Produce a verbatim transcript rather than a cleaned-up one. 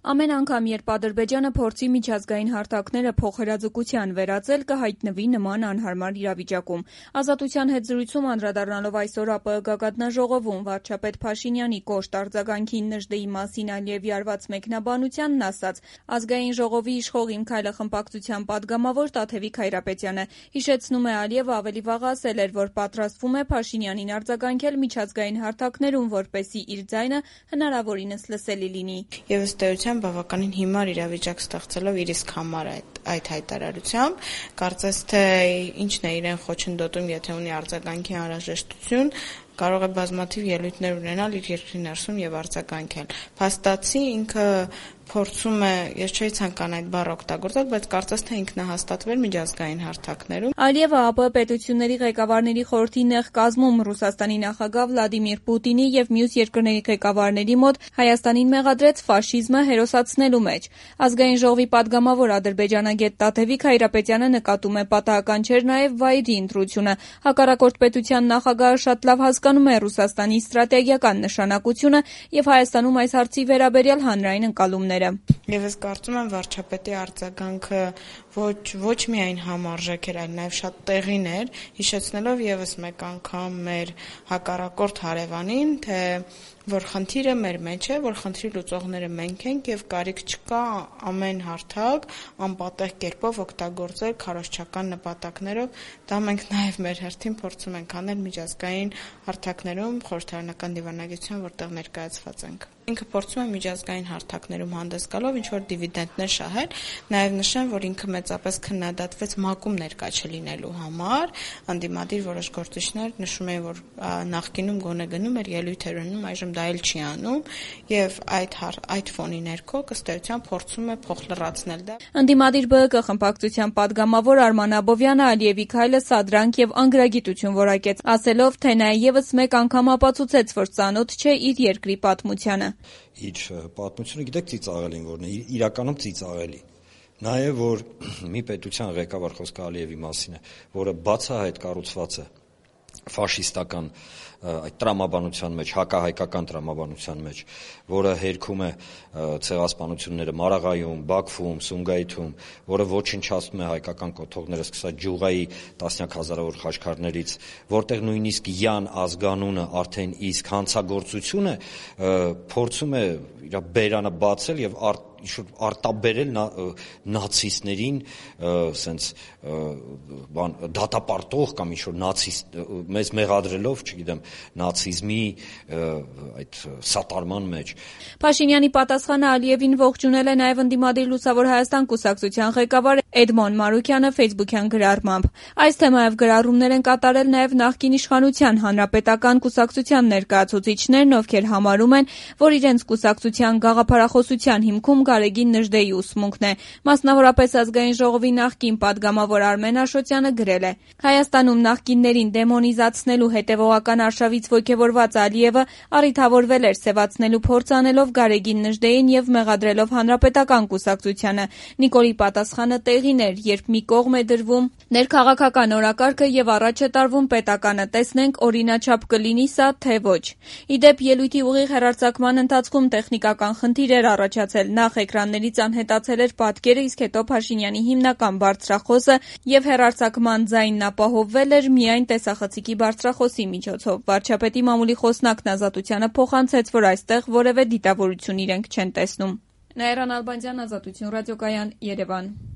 Ամեն անգամ, երբ Ադրբեջանը փորձի միջազգային հարթակները փոխհրաձգության վերածել, կհայտնվի նման անհարմար իրավիճակում։ Ազատության հետ զրույցում անդրադառնալով այսօր ԱՊԸ գագաթնաժողովում վարչապետ Փաշինյանի կոշտ արձագանքին Նժդեի մասին Ալիևի արված մեկնաբանությանն ասաց Ազգային ժողովի իշխող «Իմ քայլը» խմբակցության պատգամավոր Տաթևիկ Հայրապետյանը։ Հիշեցնում է, Ալիևը ավելի վաղ ասել էր, որ պատրաստվում է Փաշինյանին արձագանքել միջազգային հարթակներում, որպեսզի իր ձայնը հնարավորինս լսելի լինի։ Եվ ըստ էության բավականին հիմար իրավիճակ ստեղծելով իր իսկ համար այդ, այդ հայտարարությամբ, կարծես թե ինչն է իրեն խոչընդոտում, եթե ունի արձագանքի անհրաժեշտություն, կարող է բազմաթիվ ելույթներ ունենալ իր երկրի ներսում եւ արձագանքել։ Փաստացի ինքը փորձում է, ես չէի ցանկան այդ բառը օգտագործել, բայց կարծես թե ինքնահաստատվել միջազգային հարթակներում։ Ալիևը ԱՊԸ պետությունների ղեկավարների խորհրդի նեղ կազմում Ռուսաստանի նախագահ Վլադիմիր Պուտինի եւ մյուս երկրների ղեկավարների մոտ Հայաստանին մեղադրեց ֆաշիզմը հերոսացնելու մեջ։ Ազգային ժողովի պատգամավոր ադրբեջանագետ Տաթևիկ Հայրապետյանը նկատում է պատահական չէր նաեւ վայրի ընտրությունը։ Հակառակորդ պետության նախագահը շատ լավ հասկանում է Ռուսաստանի ստրատեգիական նշանակությունը եւ Հայաստանում այս հարցի վերաբերյալ հանրային ընկալումները։ Եվ ես կարծում եմ վարչապետի արձագանքը ոչ ոչ միայն համարժեք էր, այլ նաև շատ տեղին էր, հիշեցնելով եւս մեկ անգամ մեր հակառակորդ հարևանին, թե որ խնդիրը մեր մեջ է, որ խնդրի լուծողները մենք ենք եւ կարիք չկա ամեն հարթակ անպատեհ կերպով օգտագործել քարոզչական նպատակներով, դա մենք նաեւ մեր հերթին փորձում ենք անել միջազգային հարթակներում, խորհրդարանական դիվանագիտության, որտեղ ներկայացված ենք։ Ինքը փորձում է միջազգային հարթակներում հանդես գալով ինչ-որ դիվիդենտներ շահել, նաև նշեմ, որ ինքը մեծապես քննադատվեց ՄԱԿ-ում ներկա չլինելու համար, անդիմադիր որոշ գործիչներ նշում էին, որ նախկինում գոնե գնում էր, ելույթեր ունում, այժմ դա էլ չի անում, եւ այդ այդ ֆոնի ներքո ըստ էության փորձում է փոխլրացնել դա։ Անդիմադիր ԲՀԿ խմբակցության պատգամավոր Արման Աբովյանը Ալիևի քայլը սադրանք եւ անգրագիտություն որակեց, ասելով, թե նա եւս մեկ անգամ ապացուցեց, որ ծանոթ չէ իր երկրի պատմությանը։ Իր պատմությունը գիտեք ծիծաղելին որն է, իրականում ծիծաղելի։ Նաև որ մի պետության ղեկավար խոսքը Ալիևի մասին է, որը բացահայտ կառուցված է ֆաշիստական այդ տրամաբանության մեջ, հակահայկական տրամաբանության մեջ, որը հերքում է ցեղասպանությունները Մարաղայում, Բաքվում, Սումգայիթում, որը ոչնչացնում է հայկական կոթողները, սկսած Ջուղայի տասնյակ հազարավոր խաչքարներից, որտեղ նույնիսկ Յան ազգանունը արդեն իսկ հանցագործությունը փորձում է իր բերանը բացել եւ ինչ-որ արտաբերել նացիստներին սենց բան դատապարտող կամ ինչ-որ նացիստ մեզ մեղադրելով, չգիտեմ, նացիզմի այդ սատարման մեջ։ Փաշինյանի պատասխանը Ալիևին ողջունել է նաև ընդդիմադիր Լուսավոր Հայաստան կուսակցության ղեկավար Էդմոն Մանուկյանը Facebook-յան գրառմամբ։ Այս թեմայով գրառումներ են կատարել նաև նախկին իշխանության հանրապետական կուսակցության ներկայացուցիչներն, ովքեր համարում են, որ իրենց կուսակցության գաղափարախոսության հիմքում Գարեգին Նժդեի ուսմունքն է։ Մասնավորապես Ազգային ժողովի նախկին պատգամավոր Արմեն Աշոտյանը գրել է. Հայաստանում նախկիններին դեմոնիզացնելու հետևողական արշավից ոգևորված Ալիևը առիթավորվել էր սևացնելու փորձ անելով Գարեգին Նժդեին եւ մեղադրելով հանրապետական կուսակցությանը։ Նիկոլի պատասխանը տեղին էր, երբ մի կողմ է դրվում ներքաղաքական օրակարգը եւ առաջ է տարվում պետականը, տեսնենք օրինաչափ կլինի սա, թե ոչ։ Իդեպ ելույթի ուղիղ հեռարձակման ընթացքում տեխնիկական խնդիր էր առաջացել, նախ էկրաններից անհետացել էր պատկերը, իսկ հետո Փաշինյանի հիմնական բարձրախոսը եւ հեռարձակման ձայնն ապահովվել էր միայն տեսախցիկի բարձրախոսի միջոցով։ Վարչապետի մամուլի խոսնակն Ազատությանը փոխանցեց, որ այստեղ որևէ դիտավորություն իրենք չեն տեսնում։ Նաիրա Նալբանդյան, Ազատություն ռադիոկայան, Երևան։